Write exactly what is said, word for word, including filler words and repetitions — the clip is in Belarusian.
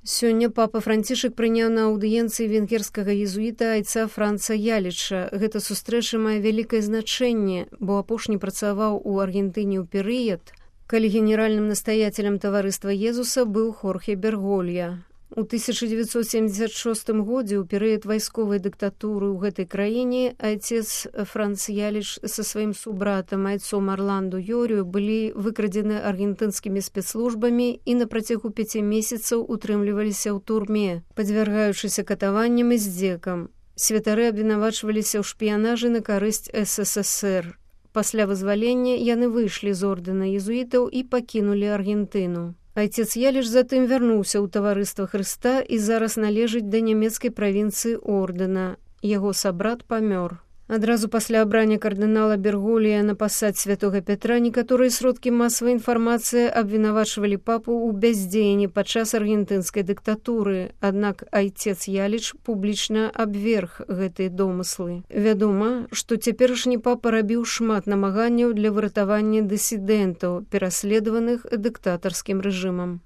Сёння папа Францішак прыняў на аўдыенцыі венгерскага езуіта айца Франца Яліча. Гэта сустрэча мае вялікае значэнне, бо апошні працаваў у Аргентыне ў перыяд, калі генеральным настаяцелем таварыства Езуса быў Хорхе Берголья. У тысяча дзевяцьсот семьдесят шостым годзе ў перыяд вайсковай дыктатуры ў гэтай краіне айцец Франц Яліч са сваім субратам айцом Арланду Йорію былі выкрадзены аргентынскімі спецслужбамі і на працягу пяці месяцаў утрымліваліся ў турме, падвяргаючыся катаванням і здзекам. Святары абвінавачваліся ў шпіянажы на карысць эс эс эс ер. Пасля вызвалення яны выйшлі з ордэна езуітаў і пакінулі Аргентыну. Айцец Яліч затым вярнуўся ў таварыства Хрыста і зараз належыць да нямецкай правінцыі ордэна. Яго сабрат памёр. Адразу пасля абрання кардынала Берголья на пасад святога Пятра некаторыя сродкі масавай інфармацыі абвінавачвалі папу ў бяздзеянні падчас аргентынскай дыктатуры, аднак айцец Яліч публічна абверг гэтыя домыслы. Вядома, што цяперашні папа рабіў шмат намаганняў для выратавання дысідэнтаў, пераследаваных дыктатарскім рэжымам.